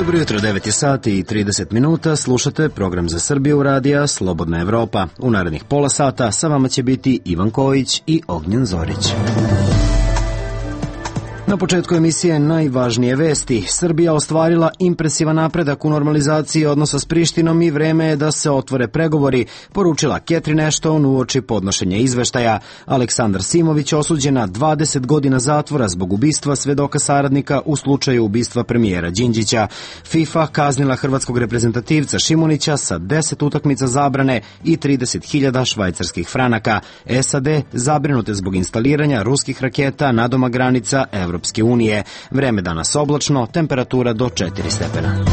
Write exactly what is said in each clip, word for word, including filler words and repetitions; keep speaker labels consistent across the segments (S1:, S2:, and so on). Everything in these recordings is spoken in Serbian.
S1: Dobro jutro, devet je sati i trideset minuta, slušate program za Srbiju radija Slobodna Evropa. U narednih pola sata sa vama će biti Ivan Kojić i Ognjen Zorić. Na početku emisije najvažnije vesti. Srbija ostvarila impresivan napredak u normalizaciji odnosa s Prištinom i vreme je da se otvore pregovori, poručila Catherine Ashton uoči podnošenja izveštaja. Aleksandar Simović osuđen na dvadeset godina zatvora zbog ubistva svedoka saradnika u slučaju ubistva premijera Đinđića. FIFA kaznila hrvatskog reprezentativca Šimunića sa deset utakmica zabrane i trideset hiljada švajcarskih franaka. S A D zabrinute zbog instaliranja ruskih raketa nadomak granica Evropske unije. Vreme danas oblačno, temperatura do četiri stepena.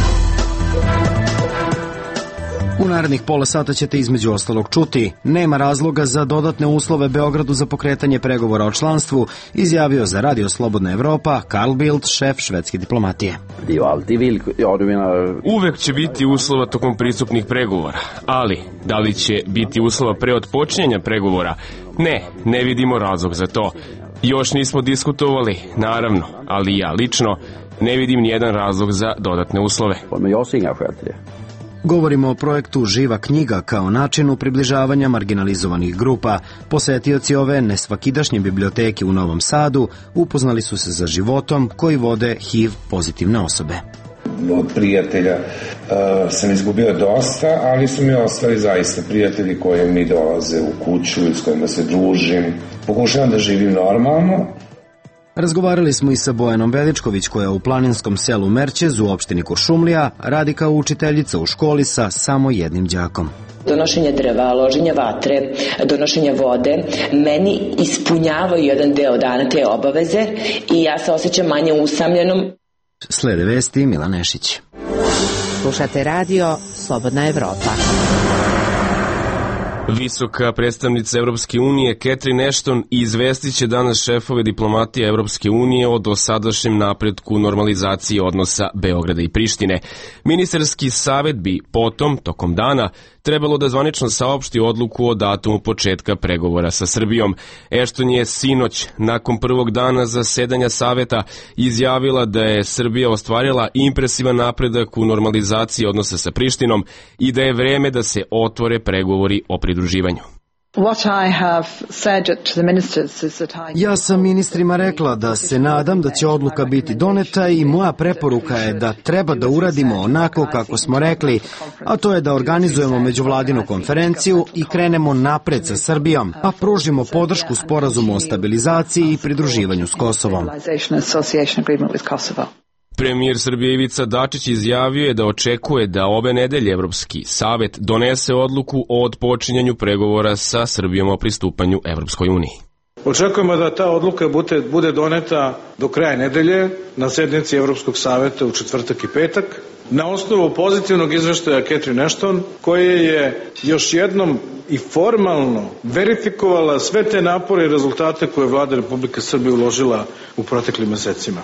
S1: U narednih pola sata ćete između ostalog čuti: nema razloga za dodatne uslove Beogradu za pokretanje pregovora o članstvu, izjavio za Radio Slobodna Evropa Carl Bildt, šef švedske diplomatije.
S2: Uvek će biti uslova tokom pristupnih pregovora, ali da li će biti uslova pre otpočinjanja pregovora? Ne, ne vidimo razlog za to. Još nismo diskutovali, naravno, ali ja lično ne vidim nijedan razlog za dodatne uslove.
S1: Govorimo o projektu Živa knjiga kao načinu približavanja marginalizovanih grupa. Posetioci ove nesvakidašnje biblioteke u Novom Sadu upoznali su se za životom koji vode H I V pozitivne osobe.
S3: Od prijatelja uh, sam izgubio dosta, ali su mi ostali zaista prijatelji koji mi dolaze u kuću i s kojima se družim. Pokušavam da živim normalno.
S1: Razgovarali smo i sa Bojanom Veličković, koja u planinskom selu Merćez u opštini Kuršumlija radi kao učiteljica u školi sa samo jednim đakom.
S4: Donošenje drva, loženje vatre, donošenje vode meni ispunjavaju jedan deo dana te obaveze i ja se osjećam manje usamljenom.
S1: Slede vesti Mila Nešić.
S5: Slušate radio Slobodna Evropa.
S2: Visoka predstavnica Evropske unije Catherine Ashton izvestit će danas šefove diplomatije Evropske unije o dosadašnjem napretku normalizaciji odnosa Beograda i Prištine. Ministarski savet bi potom, tokom dana, trebalo da zvanično saopšti odluku o datumu početka pregovora sa Srbijom. Ashton je sinoć, nakon prvog dana zasedanja saveta, izjavila da je Srbija ostvarila impresivan napredak u normalizaciji odnosa sa Prištinom i da je vreme da se otvore pregovori o pridruživanju.
S1: Ja sam ministrima rekla da se nadam da će odluka biti doneta i moja preporuka je da treba da uradimo onako kako smo rekli, a to je da organizujemo međuvladinu konferenciju i krenemo napred sa Srbijom, a pružimo podršku sporazumu o stabilizaciji i pridruživanju s Kosovom.
S2: Premijer Srbije Ivica Dačić izjavio je da očekuje da ove nedelje Evropski savet donese odluku o otpočinjanju pregovora sa Srbijom o pristupanju Evropskoj uniji.
S6: Očekujemo da ta odluka bude, bude doneta do kraja nedelje na sednici Evropskog saveta u četvrtak i petak, na osnovu pozitivnog izveštaja Catherine Ashton, koje je još jednom i formalno verifikovala sve te napore i rezultate koje je vlada Republike Srbije uložila u proteklim mesecima.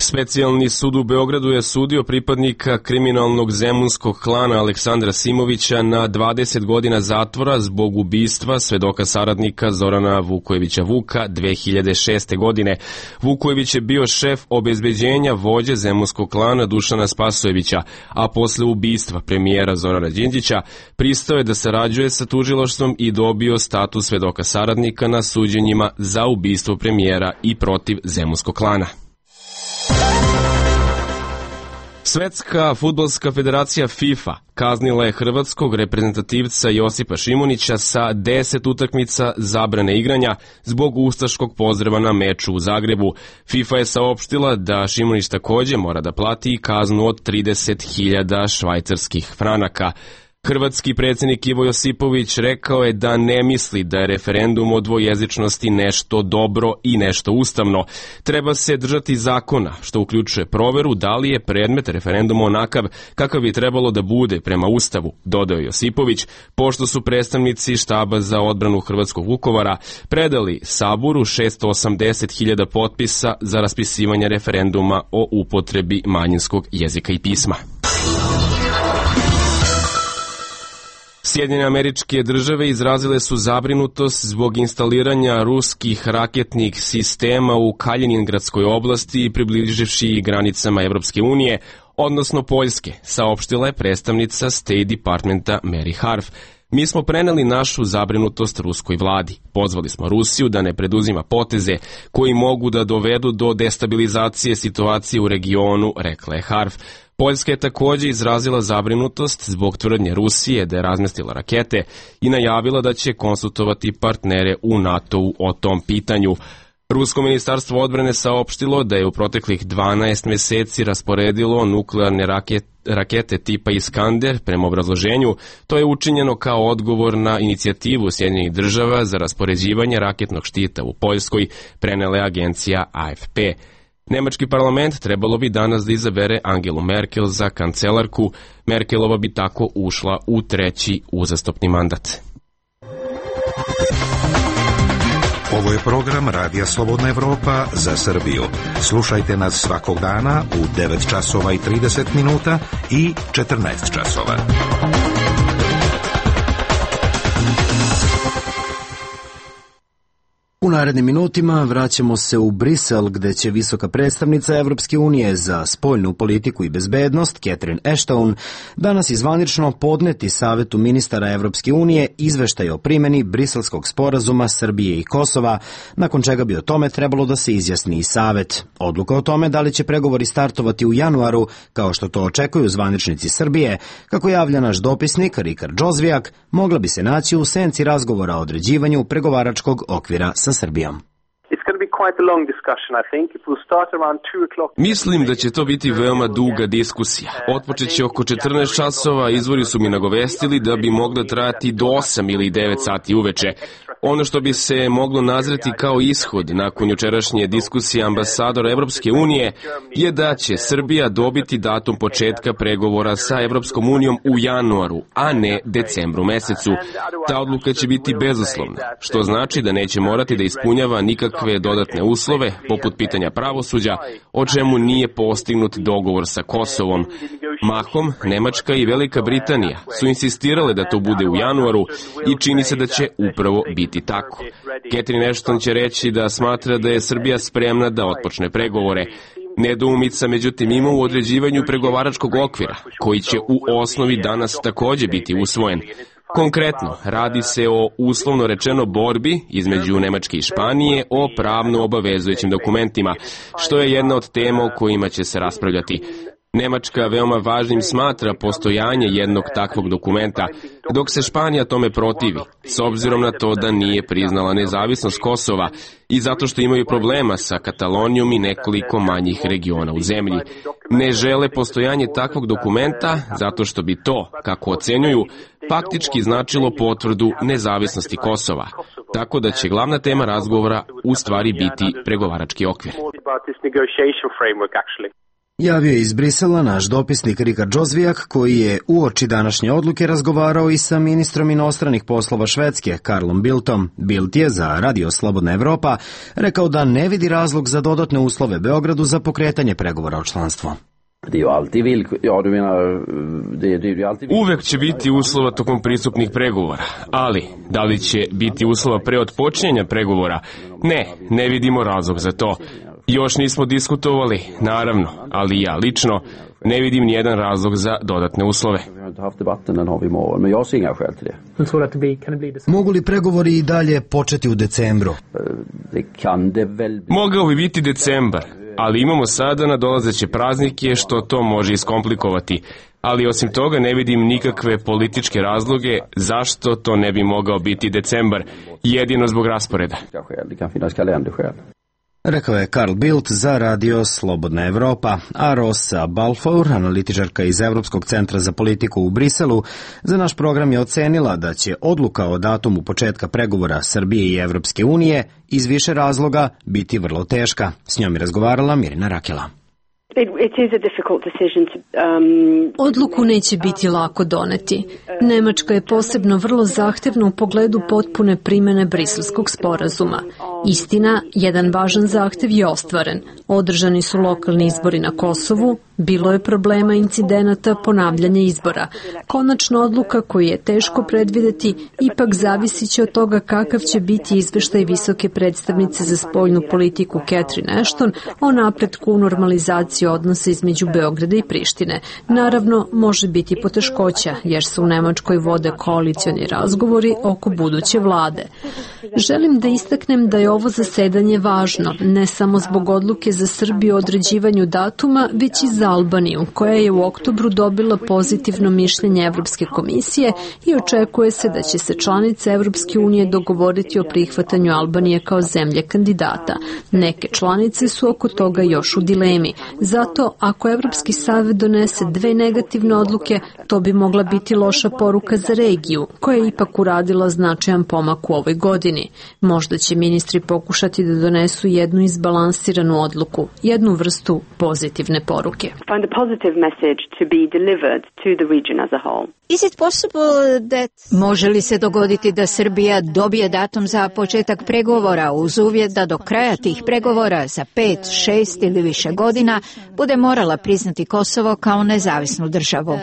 S2: Specijalni sud u Beogradu je sudio pripadnika kriminalnog zemunskog klana Aleksandra Simovića na dvadeset godina zatvora zbog ubistva svedoka saradnika Zorana Vukojevića Vuka dve hiljade šeste. godine. Vukojević je bio šef obezbeđenja vođe zemunskog klana Dušana Spasojevića, a posle ubistva premijera Zorana Đinđića pristao je da sarađuje sa tužilaštvom i dobio status svedoka saradnika na suđenjima za ubistvo premijera i protiv zemunskog klana. Svetska fudbalska federacija FIFA kaznila je hrvatskog reprezentativca Josipa Šimunića sa deset utakmica zabrane igranja zbog ustaškog pozdrava na meču u Zagrebu. FIFA je saopštila da Šimunić takođe mora da plati kaznu od trideset hiljada švajcarskih franaka. Hrvatski predsjednik Ivo Josipović rekao je da ne misli da je referendum o dvojezičnosti nešto dobro i nešto ustavno. Treba se držati zakona, što uključuje proveru da li je predmet referenduma onakav kakav bi trebalo da bude prema Ustavu, dodao Josipović, pošto su predstavnici štaba za odbranu Hrvatskog Vukovara predali Saboru šesto osamdeset hiljada potpisa za raspisivanje referenduma o upotrebi manjinskog jezika i pisma. Sjedinjene Američke Države izrazile su zabrinutost zbog instaliranja ruskih raketnih sistema u Kaljiningradskoj oblasti i približivši granicama Evropske unije, odnosno Poljske, saopštila je predstavnica State Departmenta Mary Harf. Mi smo preneli našu zabrinutost ruskoj vladi. Pozvali smo Rusiju da ne preduzima poteze koji mogu da dovedu do destabilizacije situacije u regionu, rekla je Harf. Poljska je takođe izrazila zabrinutost zbog tvrdnje Rusije da je razmestila rakete i najavila da će konsultovati partnere u NATO-u o tom pitanju. Rusko ministarstvo odbrane saopštilo da je u proteklih dvanaest meseci rasporedilo nuklearne rakete, rakete tipa Iskander. Prema obrazloženju, to je učinjeno kao odgovor na inicijativu Sjedinjenih država za raspoređivanje raketnog štita u Poljskoj, prenela je agencija A F P. Nemački parlament trebalo bi danas da izabere Angelu Merkel za kancelarku. Merkelova bi tako ušla u treći uzastopni mandat.
S7: Ovo je program Radija Slobodna Evropa za Srbiju. Slušajte nas svakog dana u devet časova i trideset minuta i četrnaest časova.
S1: U narednim minutima vraćamo se u Brisel, gde će visoka predstavnica Evropske unije za spoljnu politiku i bezbednost, Catherine Ashton, danas izvanično podneti Savetu ministara Evropske unije izveštaj o primjeni Briselskog sporazuma Srbije i Kosova, nakon čega bi o tome trebalo da se izjasni i Savet. Odluka o tome da li će pregovori startovati u januaru, kao što to očekuju zvaničnici Srbije, kako javlja naš dopisnik Rikard Džozvijak, mogla bi se naći u senci razgovora o određivanju pregovaračkog okvira sa Srbijom.
S2: Mislim da će to biti veoma duga diskusija. Otpočeće oko četrnaest časova, izvori su mi nagovestili da bi mogla trajati do osam ili devet sati uveče. Ono što bi se moglo nazreti kao ishod nakon jučerašnje diskusije ambasadora Evropske unije je da će Srbija dobiti datum početka pregovora sa Evropskom unijom u januaru, a ne decembru mesecu. Ta odluka će biti bezuslovna, što znači da neće morati da ispunjava nikakve dodatne uslove, poput pitanja pravosuđa, o čemu nije postignut dogovor sa Kosovom. Mahom, Nemačka i Velika Britanija su insistirale da to bude u januaru i čini se da će upravo biti tako. Catherine Ashton će reći da smatra da je Srbija spremna da otpočne pregovore. Nedoumica, međutim, ima u određivanju pregovaračkog okvira, koji će u osnovi danas takođe biti usvojen. Konkretno, radi se o uslovno rečeno borbi između Nemačke i Španije o pravno obavezujućim dokumentima, što je jedna od tema o kojima će se raspravljati. Nemačka veoma važnim smatra postojanje jednog takvog dokumenta, dok se Španija tome protivi, s obzirom na to da nije priznala nezavisnost Kosova i zato što imaju problema sa Katalonijom i nekoliko manjih regiona u zemlji. Ne žele postojanje takvog dokumenta zato što bi to, kako ocenjuju, faktički značilo potvrdu nezavisnosti Kosova, tako da će glavna tema razgovora u stvari biti pregovarački okvir.
S1: Javio je iz Brisela naš dopisnik Rikard Džozvijak, koji je uoči današnje odluke razgovarao i sa ministrom inostranih poslova Švedske, Karlom Bildtom. Bildt je za Radio Slobodna Evropa rekao da ne vidi razlog za dodatne uslove Beogradu za pokretanje pregovora o članstvu.
S2: Uvek će biti uslova tokom pristupnih pregovora, ali da li će biti uslova pre otpočinjanja pregovora? Ne, ne vidimo razlog za to. Još nismo diskutovali, naravno, ali ja lično ne vidim nijedan razlog za dodatne uslove.
S1: Mogu li pregovori i dalje početi u decembru?
S2: Mogao bi biti decembar, ali imamo sada nadolazeće praznike što to može iskomplikovati. Ali osim toga ne vidim nikakve političke razloge zašto to ne bi mogao biti decembar, jedino zbog rasporeda.
S1: Rekao je Karl Bildt za Radio Slobodna Evropa, a Rosa Balfour, analitičarka iz Evropskog centra za politiku u Briselu, za naš program je ocenila da će odluka o datumu početka pregovora Srbije i Evropske unije iz više razloga biti vrlo teška. S njom je razgovarala Mirina Rakela.
S8: Odluku neće biti lako doneti. Nemačka je posebno vrlo zahtevna u pogledu potpune primjene Briselskog sporazuma. Istina, jedan važan zahtev je ostvaren. Održani su lokalni izbori na Kosovu, bilo je problema incidenata ponavljanja izbora. Konačna odluka koju je teško predvideti ipak zavisit će od toga kakav će biti izveštaj visoke predstavnice za spoljnu politiku Catherine Ashton o napretku u normalizaciji poboljšati odnose između Beograda i Prištine. Naravno, može biti poteškoća, jer se u Nemačkoj vode koalicioni razgovori oko buduće vlade. Želim da istaknem da je ovo zasedanje važno, ne samo zbog odluke za Srbiju o određivanju datuma, već i za Albaniju, koja je u oktobru dobila pozitivno mišljenje Evropske komisije i očekuje se da će se članice Evropske unije dogovoriti o prihvatanju Albanije kao zemlje kandidata. Neke članice su oko toga još u dilemi. Zato, ako Evropski savet donese dve negativne odluke, to bi mogla biti loša poruka za regiju, koja je ipak uradila značajan pomak u ovoj godini. Možda će ministri pokušati da donesu jednu izbalansiranu odluku, jednu vrstu pozitivne poruke.
S9: Može li se dogoditi da Srbija dobije datum za početak pregovora uz uvjet da do kraja tih pregovora za pet, šest ili više godina bude morala priznati Kosovo kao nezavisnu državu? Uh,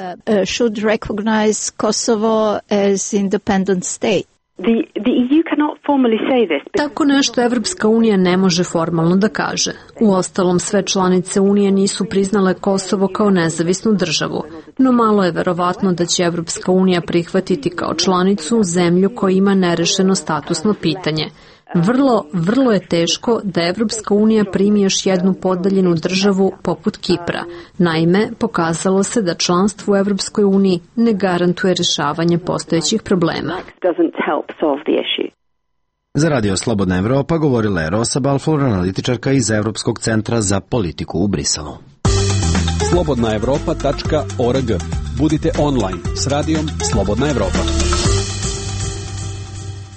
S9: should recognize Kosovo as independent state.
S8: The, the E U cannot formally say this. Tako nešto Evropska unija ne može formalno da kaže. Uostalom, sve članice Unije nisu priznale Kosovo kao nezavisnu državu, no malo je verovatno da će Evropska unija prihvatiti kao članicu zemlju koja ima nerešeno statusno pitanje. Vrlo, vrlo je teško da Evropska unija primi još jednu podaljenu državu poput Kipra. Naime, pokazalo se da članstvo u Evropskoj uniji ne garantuje rešavanje postojećih problema.
S1: Za Radio Slobodna Evropa govorila je Rosa Balfour, analitičarka iz Evropskog centra za politiku u Briselu.
S10: slobodna evropa tačka org. Budite online s radijom Slobodna Evropa.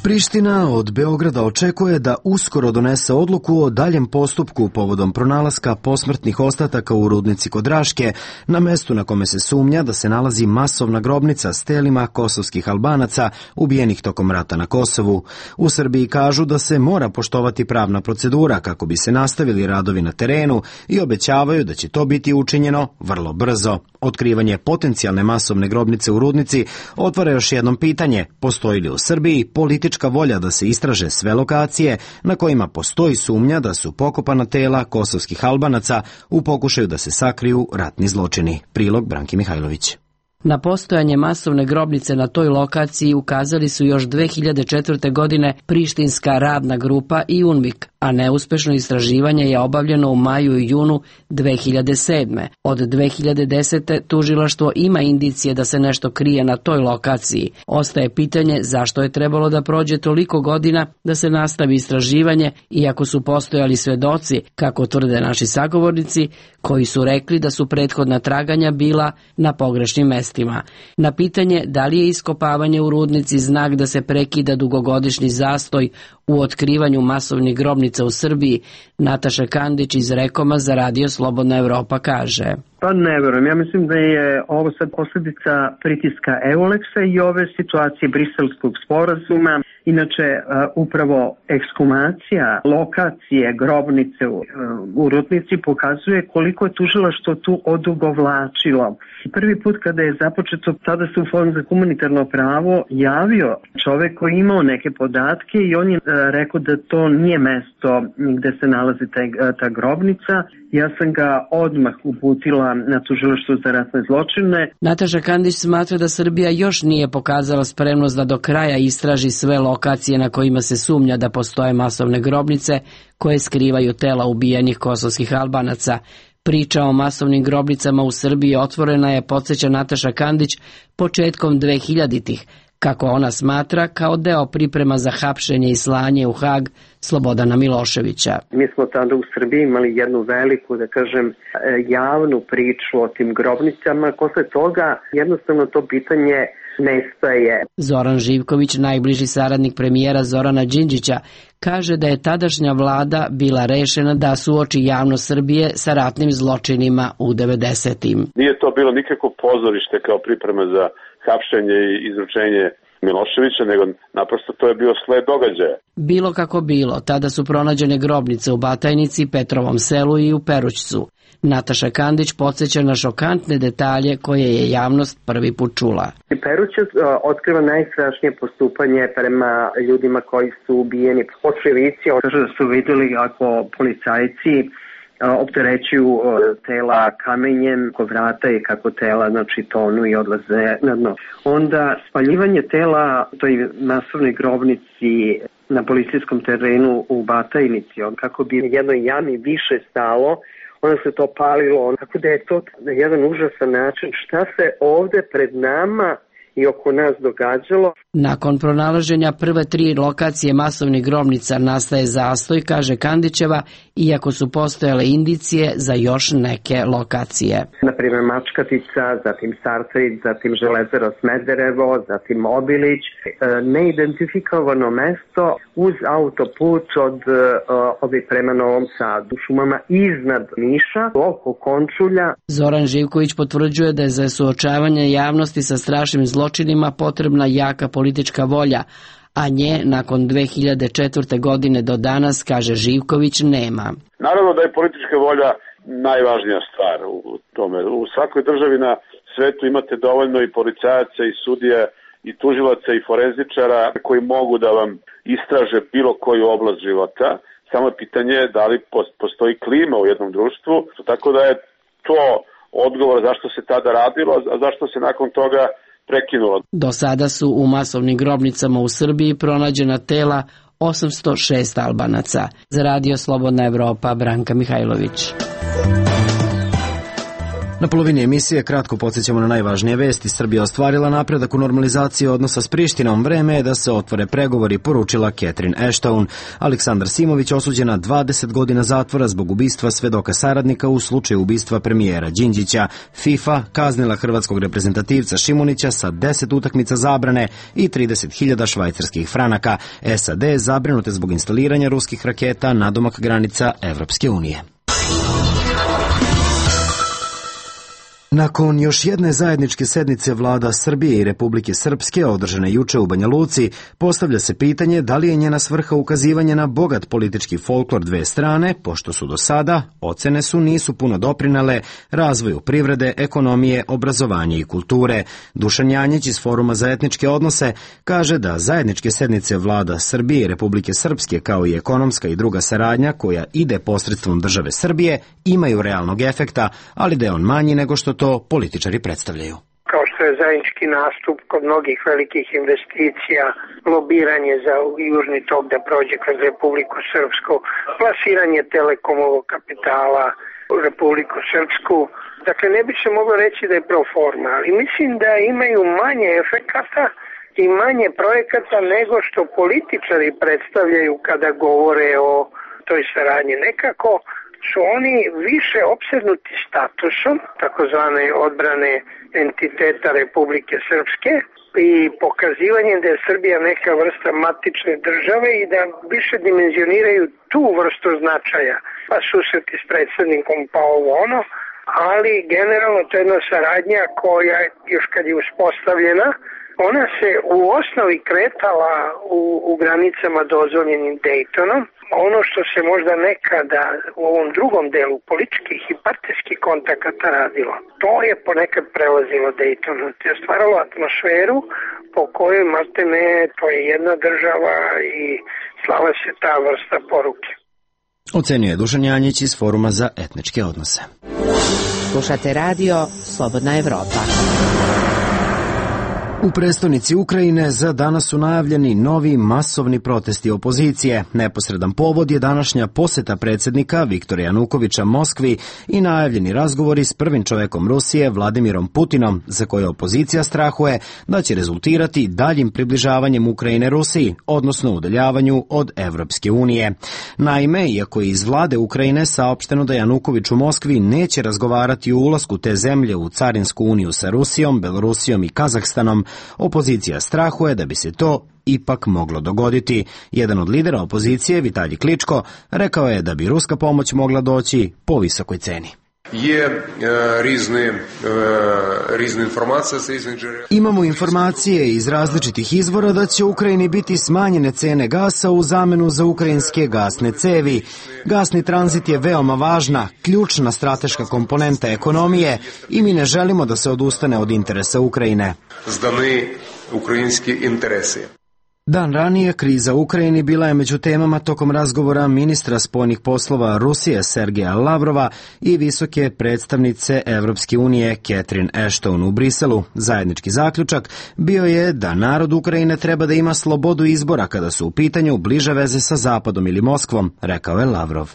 S1: Priština od Beograda očekuje da uskoro donese odluku o daljem postupku povodom pronalaska posmrtnih ostataka u rudnici kod Raške, na mestu na kome se sumnja da se nalazi masovna grobnica s telima kosovskih Albanaca ubijenih tokom rata na Kosovu. U Srbiji kažu da se mora poštovati pravna procedura kako bi se nastavili radovi na terenu i obećavaju da će to biti učinjeno vrlo brzo. Otkrivanje potencijalne masovne grobnice u rudnici otvara još jednom pitanje: postoji li u Srbiji politička volja da se istraže sve lokacije na kojima postoji sumnja da su pokopana tela kosovskih Albanaca u pokušaju da se sakriju ratni zločini. Prilog Branki Mihajlović.
S11: Na postojanje masovne grobnice na toj lokaciji ukazali su još dve hiljade četvrte. godine Prištinska radna grupa i UNMIK, a neuspešno istraživanje je obavljeno u maju i junu dve hiljade sedme. Od dve hiljade desete. tužilaštvo ima indicije da se nešto krije na toj lokaciji. Ostaje pitanje zašto je trebalo da prođe toliko godina da se nastavi istraživanje, iako su postojali svedoci, kako tvrde naši sagovornici, koji su rekli da su prethodna traganja bila na pogrešnim mestima. Na pitanje da li je iskopavanje u rudnici znak da se prekida dugogodišnji zastoj u otkrivanju masovnih grobnica u Srbiji, Nataša Kandić iz Rekoma za Radio Slobodna Evropa kaže:
S12: Pa ne verujem, ja mislim da je ovo sad posljedica pritiska Euleksa i ove situacije Briselskog sporazuma. Inače, upravo ekshumacija lokacije grobnice u, u rudnici pokazuje koliko je tužilaštvo tu odugovlačilo. Prvi put kada je započeto, tada se u Fond za humanitarno pravo javio čovek koji je imao neke podatke i on je rekao da to nije mesto gde se nalazi ta, ta grobnica. Ja sam ga odmah uputila na tužilaštvo za ratne zločine.
S11: Nataša Kandić smatra da Srbija još nije pokazala spremnost da do kraja istraži sve lokacije na kojima se sumnja da postoje masovne grobnice koje skrivaju tela ubijenih kosovskih Albanaca. Priča o masovnim grobnicama u Srbiji otvorena je, podsjeća Nataša Kandić, početkom dve hiljaditih. Kako ona smatra, kao deo priprema za hapšenje i slanje u Hag Slobodana Miloševića.
S12: Mi smo tada u Srbiji imali jednu veliku, da kažem, javnu priču o tim grobnicama. Posle toga jednostavno to pitanje nestaje.
S11: Zoran Živković, najbliži saradnik premijera Zorana Đinđića, kaže da je tadašnja vlada bila rešena da suoči javnost Srbije sa ratnim zločinima u devedesetim.
S13: Nije to bilo nikako pozorište kao priprema za hapšenje i izručenje Miloševića, nego naprosto to je bio sled događaja.
S11: Bilo kako bilo, tada su pronađene grobnice u Batajnici, Petrovom selu i u Perućcu. Nataša Kandić podsjeća na šokantne detalje koje je javnost prvi put čula.
S12: Perućac otkriva najstrašnije postupanje prema ljudima koji su ubijeni. Očevici kažu da su vidjeli ako policajci opterećuju tela kamenjem kod vrata i kako tela znači tonu i odlaze na dno. Onda spaljivanje tela toj masovnoj grobnici na policijskom terenu u Batajnici, kako bi jednoj jami više stalo, onda se to palilo, tako da je to jedan užasan način šta se ovde pred nama i oko nas događalo.
S11: Nakon pronalaženja prve tri lokacije masovnih grobnica nastaje zastoj, kaže Kandićeva, iako su postojale indicije za još neke lokacije.
S12: Naprimjer Mačkatica, zatim Sartrid, zatim Železaro Smederevo, zatim Obilić, neidentifikovano mesto uz autoput od ovih prema Novom Sadu, šumama iznad Niša, oko Končulja.
S11: Zoran Živković potvrđuje da je za suočavanje javnosti sa strašnim zločinima potrebna jaka politička volja, a nje nakon dve hiljade četvrte. godine do danas, kaže Živković, nema.
S13: Naravno da je politička volja najvažnija stvar u tome. U svakoj državi na svetu imate dovoljno i policajaca i sudija i tužilaca i forenzičara koji mogu da vam istraže bilo koju oblast života. Samo je pitanje da li postoji klima u jednom društvu, tako da je to odgovor zašto se tada radilo, a zašto se nakon toga prekinulo.
S11: Do sada su u masovnim grobnicama u Srbiji pronađena tela osamsto šest Albanaca. Za Radio Slobodna Evropa, Branka Mihajlović.
S1: Na polovini emisije kratko podsjećamo na najvažnije vesti. Srbija ostvarila napredak u normalizaciji odnosa s Prištinom. Vreme je da se otvore pregovori, poručila Catherine Ashton. Aleksandar Simović osuđen na dvadeset godina zatvora zbog ubistva svedoka saradnika u slučaju ubistva premijera Đinđića. FIFA kaznila hrvatskog reprezentativca Šimunića sa deset utakmica zabrane i trideset hiljada švajcarskih franaka. S A D zabrinute zbog instaliranja ruskih raketa nadomak granica Evropske unije. Nakon još jedne zajedničke sednice vlada Srbije i Republike Srpske održane juče u Banja Luci, postavlja se pitanje da li je njena svrha ukazivanje na bogat politički folklor dve strane, pošto su do sada, ocene su, nisu puno doprinale razvoju privrede, ekonomije, obrazovanja i kulture. Dušan Janjić iz Foruma za etničke odnose kaže da zajedničke sednice vlada Srbije i Republike Srpske kao i ekonomska i druga saradnja koja ide posredstvom države Srbije imaju realnog efekta, ali da je on manji nego što to političari predstavljaju.
S14: Kao što je zajednički nastup kod mnogih velikih investicija, lobiranje za južni tok da prođe kroz Republiku Srpsku, plasiranje telekomovog kapitala u Republiku Srpsku. Dakle, ne bi se moglo reći da je pro forma, ali mislim da imaju manje efekata i manje projekata nego što političari predstavljaju kada govore o toj saradnji. Nekako su oni više opsednuti statusom takozvane odbrane entiteta Republike Srpske i pokazivanjem da je Srbija neka vrsta matične države i da više dimenzioniraju tu vrstu značaja, pa susreti s predsjednikom pa ovo ono, ali generalno to je jedna saradnja koja još kad je uspostavljena, ona se u osnovi kretala u, u granicama dozvoljenim Daytonom. Ono što se možda nekada u ovom drugom delu političkih i partijskih kontakata radilo, to je ponekad prelazilo Daytonu. To je stvaralo atmosferu po kojoj maltene to je jedna država i slala se ta vrsta poruke.
S1: Ocenjuje Dušan Janjić iz Foruma za etničke odnose.
S5: Slušate radio Slobodna Evropa.
S1: U prestonici Ukrajine za danas su najavljeni novi masovni protesti opozicije. Neposredan povod je današnja poseta predsjednika Viktora Janukovića Moskvi i najavljeni razgovori s prvim čovekom Rusije Vladimirom Putinom, za koje opozicija strahuje da će rezultirati daljim približavanjem Ukrajine Rusiji, odnosno udaljavanju od Evropske unije. Naime, iako je iz vlade Ukrajine saopšteno da Januković u Moskvi neće razgovarati o ulasku te zemlje u Carinsku uniju sa Rusijom, Belorusijom i Kazahstanom, opozicija strahuje da bi se to ipak moglo dogoditi. Jedan od lidera opozicije, Vitalij Kličko, rekao je da bi ruska pomoć mogla doći po visokoj ceni.
S15: Je rizne, rizne informacije sa iznih džerela.
S1: Imamo informacije iz različitih izvora da će Ukrajini biti smanjene cene gasa u zamenu za ukrajinske gasne cevi. Gasni tranzit je veoma važna, ključna strateška komponenta ekonomije i mi ne želimo da se odustane od interesa Ukrajine.
S15: Zdani ukrajinski interesi.
S1: Dan ranije kriza u Ukrajini bila je među temama tokom razgovora ministra spoljnih poslova Rusije Sergeja Lavrova i visoke predstavnice Evropske unije Catherine Ashton u Briselu. Zajednički zaključak bio je da narod Ukrajine treba da ima slobodu izbora kada su u pitanju bliže veze sa Zapadom ili Moskvom, rekao je Lavrov.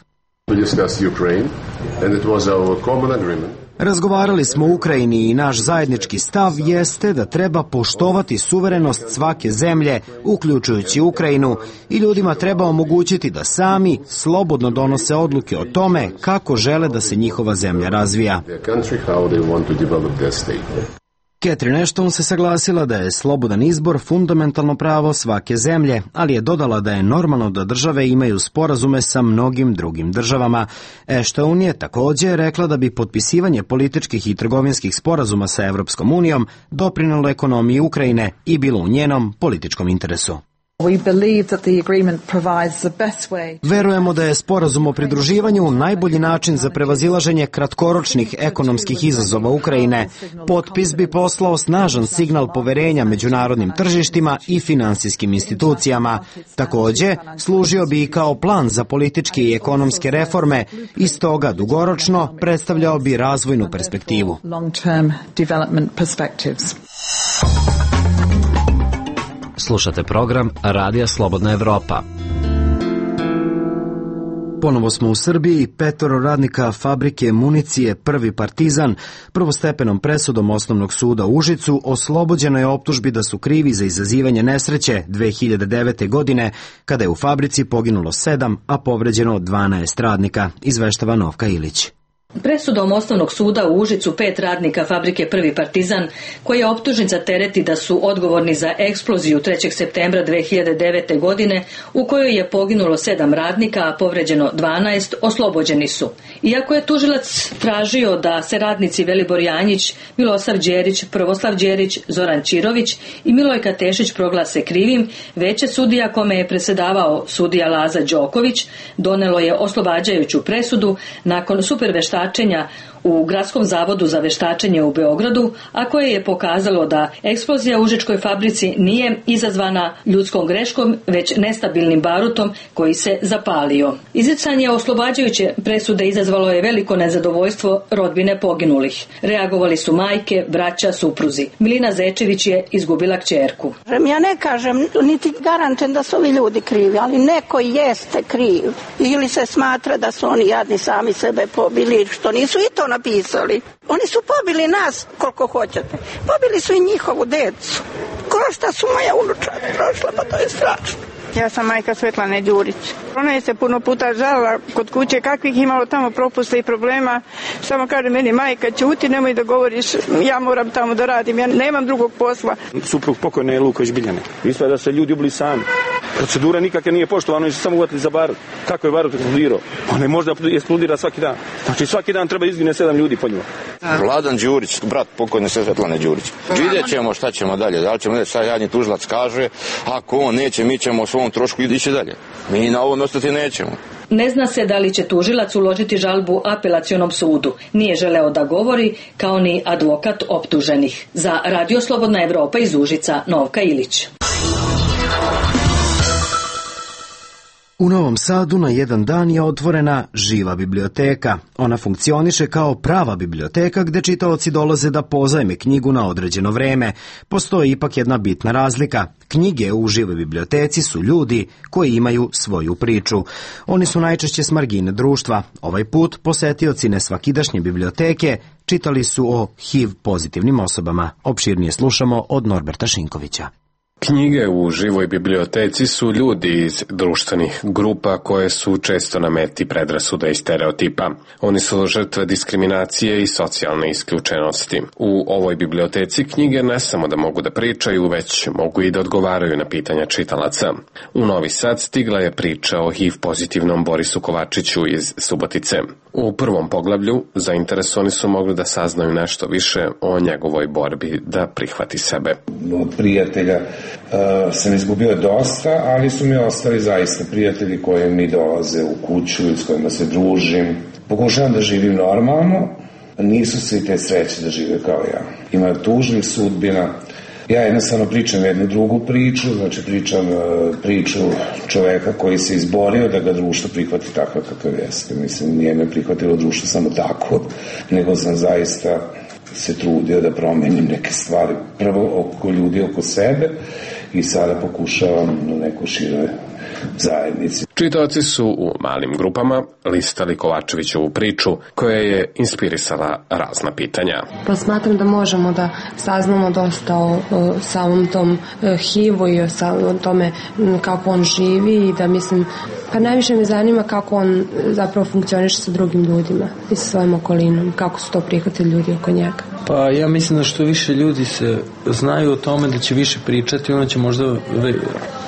S1: Razgovarali smo o Ukrajini i naš zajednički stav jeste da treba poštovati suverenost svake zemlje, uključujući Ukrajinu, i ljudima treba omogućiti da sami slobodno donose odluke o tome kako žele da se njihova zemlja razvija. Catherine Ashton se saglasila da je slobodan izbor fundamentalno pravo svake zemlje, ali je dodala da je normalno da države imaju sporazume sa mnogim drugim državama. Ashton je također rekla da bi potpisivanje političkih i trgovinskih sporazuma sa Evropskom unijom doprinelo ekonomiji Ukrajine i bilo u njenom političkom interesu. Verujemo da je sporazum o pridruživanju najbolji način za prevazilaženje kratkoročnih ekonomskih izazova Ukrajine. Potpis bi poslao snažan signal poverenja međunarodnim tržištima i finansijskim institucijama. Također, služio bi i kao plan za političke i ekonomske reforme i stoga dugoročno predstavljao bi razvojnu perspektivu.
S16: Slušate program Radija Slobodna Evropa.
S1: Ponovo smo u Srbiji. Petoro radnika fabrike municije Prvi Partizan prvostepenom presudom Osnovnog suda u Užicu oslobođeno je optužbi da su krivi za izazivanje nesreće dve hiljade devete. godine, kada je u fabrici poginulo sedam, a povređeno dvanaest radnika, izveštava Novka Ilić.
S17: Presudom Osnovnog suda u Užicu pet radnika fabrike Prvi Partizan, koji je optužen za tereti da su odgovorni za eksploziju trećeg septembra dve hiljade devete. godine, u kojoj je poginulo sedam radnika, a povređeno dvanaest, oslobođeni su. Iako je tužilac tražio da se radnici Velibor Janjić, Milosav Đerić, Prvoslav Đerić, Zoran Čirović i Milojka Tešić proglase krivim, veće sudija, kome je presedavao sudija Laza Đoković, donelo je oslobađajuću presudu nakon superveštačenja u Gradskom zavodu za veštačenje u Beogradu, a koje je pokazalo da eksplozija u Užičkoj fabrici nije izazvana ljudskom greškom, već nestabilnim barutom koji se zapalio. Izricanje oslobađajuće presude izazvalo je veliko nezadovoljstvo rodbine poginulih. Reagovali su majke, braća, supruzi. Milina Zečević je izgubila kćerku.
S18: Ja ne kažem, niti garantujem da su ovi ljudi krivi, ali neko jeste kriv. Ili se smatra da su oni jadni sami sebe pobili, što nisu i to napisali. Oni su pobili nas koliko hoćete. Pobili su i njihovu decu. Ko šta su moja unučad prošla, pa to je strašno.
S19: Ja sam majka Svetlane Đurić. Ona je se puno puta žalila kod kuće kakvih imalo tamo propusta i problema. Samo kaže meni, majka, ćuti, nemoj da govoriš, ja moram tamo da radim, ja nemam drugog posla.
S20: Suprug pokojne je Luković Biljane. Ispada da se ljudi ubili sami. Procedura nikakve nije poštovana, oni su samo uvatili za barut. Kako je barut eksplodirao? On je možda eksplodira svaki dan. Znači svaki dan treba izgine sedam ljudi po njima.
S21: Vladan Đurić, brat pokojne Svetlane Đurić. Vidjet ćemo šta ćemo dalje. Da li ćemo reći šta jadni tužilac kaže, ako on neće, mi ćemo o svom trošku ići dalje. Mi na ovom ostati nećemo.
S17: Ne zna se da li će tužilac uložiti žalbu apelacionom sudu. Nije želeo da govori, kao ni advokat optuženih. Za Radio Slobodna Evropa iz Užica, Novka Ilić.
S1: U Novom Sadu na jedan dan je otvorena živa biblioteka. Ona funkcioniše kao prava biblioteka gde čitaoci dolaze da pozajme knjigu na određeno vreme. Postoji ipak jedna bitna razlika. Knjige u živoj biblioteci su ljudi koji imaju svoju priču. Oni su najčešće s margine društva. Ovaj put posetioci nesvakidašnje biblioteke čitali su o H I V pozitivnim osobama. Opširnije slušamo od Norberta Šinkovića.
S22: Knjige u živoj biblioteci su ljudi iz društvenih grupa koje su često na meti predrasuda i stereotipa. Oni su žrtve diskriminacije i socijalne isključenosti. U ovoj biblioteci knjige ne samo da mogu da pričaju, već mogu i da odgovaraju na pitanja čitalaca. U Novi Sad stigla je priča o H I V pozitivnom Borisu Kovačiću iz Subotice. U prvom poglavlju zainteresovani su mogli da saznaju nešto više o njegovoj borbi da prihvati sebe.
S3: Od prijatelja uh, sam izgubio dosta, ali su mi ostali zaista prijatelji koji mi dolaze u kuću i s kojima se družim. Pokušavam da živim normalno, nisu svi te sreće da žive kao ja. Ima tužnih sudbina Ja jednostavno pričam jednu drugu priču, znači pričam priču čoveka koji se izborio da ga društvo prihvati takav kakav jeste. Mislim, nije me prihvatilo društvo samo tako, nego sam zaista se trudio da promenim neke stvari. Prvo oko ljudi, oko sebe i sada pokušavam na neko široj zajednici.
S22: Čitaoci su u malim grupama listali Kovačevićevu priču koja je inspirisala razna pitanja.
S4: Pa smatram da možemo da saznamo dosta o, o samom tom H I V-u i o samom tome kako on živi i da mislim, pa najviše me zanima kako on zapravo funkcioniše sa drugim ljudima i sa svojom okolinom, kako su to prihvatili ljudi oko njega.
S6: Pa ja mislim da što više ljudi se znaju o tome da će više pričati, onda će možda ve,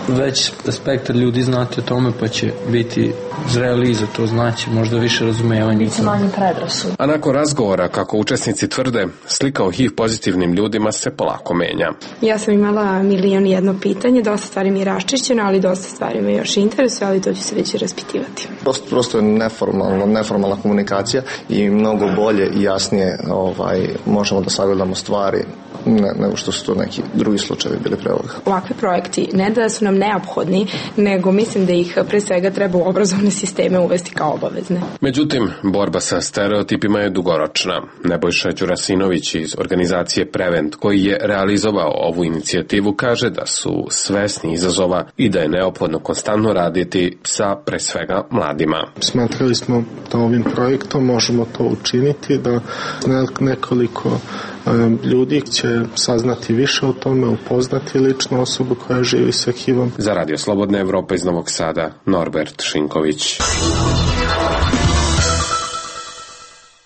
S6: već spektar ljudi znati o tome pa će biti zreli za to, znači možda više razumevanja.
S4: Biće manje predrasuda.
S22: A nakon razgovora, kako učesnici tvrde, slika o H I V pozitivnim ljudima se polako menja.
S23: Ja sam imala milion i jedno pitanje, dosta stvari mi je raščišćeno, ali dosta stvari me još interesuje, ali to ću se već i raspitivati.
S24: Prosto, prosto je neformalno, neformalna komunikacija i mnogo bolje i jasnije ovaj, možemo da sagledamo stvari ne, nego što su to neki drugi slučajevi bili pre ovoga.
S23: Ovakvi projekti ne da su nam neophodni, nego mislim da ih pre svega treba u obrazovne sisteme uvesti kao obavezne.
S22: Međutim, borba sa stereotipima je dugoročna. Nebojša Đurasinović iz organizacije Prevent, koji je realizovao ovu inicijativu, kaže da su svesni izazova i da je neophodno konstantno raditi sa pre svega mladima.
S25: Smatrali smo da ovim projektom možemo to učiniti, da nekoliko ljudi će saznati više o tome, upoznati ličnu osobu koja živi sa H I V-om.
S22: Za Radio Slobodna Evropa iz Novog Sada, Norbert Šinković.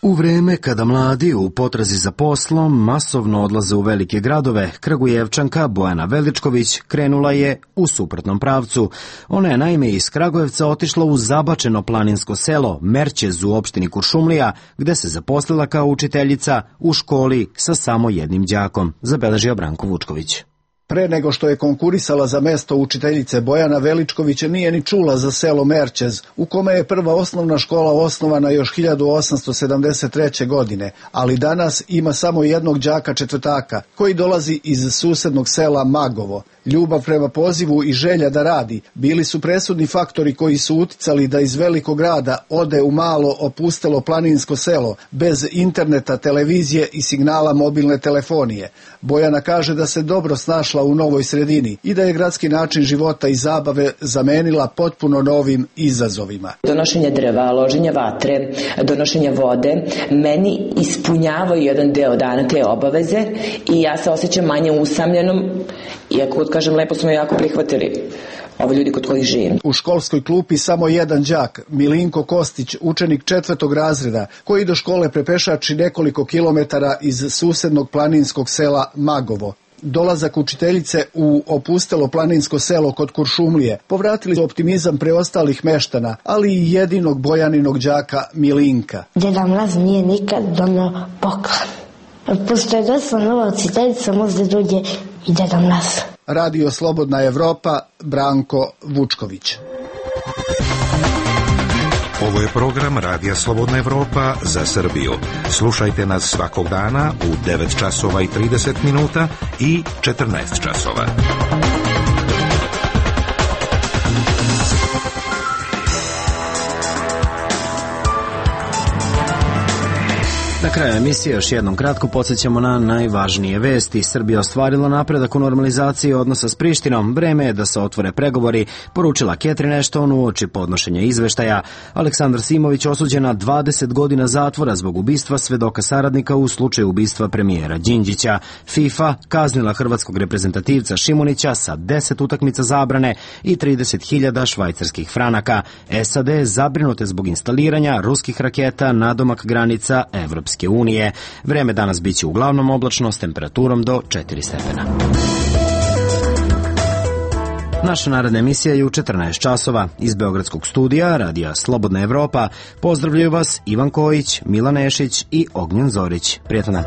S1: U vreme kada mladi u potrazi za poslom masovno odlaze u velike gradove, Kragujevčanka Bojana Veličković krenula je u suprotnom pravcu. Ona je naime iz Kragujevca otišla u zabačeno planinsko selo Merćez u opštini Kuršumlija, gde se zaposlila kao učiteljica u školi sa samo jednim đakom, zabeležio Branko Vučković.
S26: Pre nego što je konkurisala za mesto učiteljice, Bojana Veličković nije ni čula za selo Merćez, u kome je prva osnovna škola osnovana još hiljadu osamsto sedamdeset treće. godine, ali danas ima samo jednog đaka četvrtaka, koji dolazi iz susednog sela Magovo. Ljubav prema pozivu i želja da radi bili su presudni faktori koji su uticali da iz velikog grada ode u malo opustelo planinsko selo, bez interneta, televizije i signala mobilne telefonije. Bojana kaže da se dobro snašla u novoj sredini i da je gradski način života i zabave zamenila potpuno novim izazovima.
S27: Donošenje drva, loženje vatre, donošenje vode, meni ispunjavaju jedan deo dana te obaveze i ja se osjećam manje usamljenom, iako kažem, lepo smo jako prihvatili ove ljudi kod kojih živim.
S26: U školskoj klupi samo jedan đak, Milinko Kostić, učenik četvrtog razreda, koji do škole prepešači nekoliko kilometara iz susednog planinskog sela Magovo. Dolazak učiteljice u opustelo planinsko selo kod Kuršumlije povratili su optimizam preostalih meštana, ali i jedinog Bojaninog đaka Milinka.
S28: Deda Mraz nije nikad donio poklon. Pošto je došla nova učiteljica, možda dođe i Deda Mraz.
S26: Radio Slobodna Evropa, Branko Vučković.
S7: Ovo je program Radija Slobodna Evropa za Srbiju. Slušajte nas svakog dana u devet časova i trideset minuta i četrnaest časova.
S1: Na kraju emisije još jednom kratko podsjećamo na najvažnije vesti. Srbija ostvarila napredak u normalizaciji odnosa s Prištinom. Vreme je da se otvore pregovori, poručila Catherine Ashton uoči podnošenja izveštaja. Aleksandar Simović osuđen na dvadeset godina zatvora zbog ubistva svedoka saradnika u slučaju ubistva premijera Đinđića. FIFA kaznila hrvatskog reprezentativca Šimunića sa deset utakmica zabrane i trideset hiljada švajcarskih franaka. S A D zabrinute zbog instaliranja ruskih raketa nadomak granica Evropske unije. Vreme danas biće uglavnom oblačno s temperaturom do četiri stepena. Naša naredna emisija je u četrnaest časova. Iz Beogradskog studija Radija Slobodna Evropa pozdravljaju vas Ivan Kojić, Milan Nešić i Ognjen Zorić. Prijatno dan.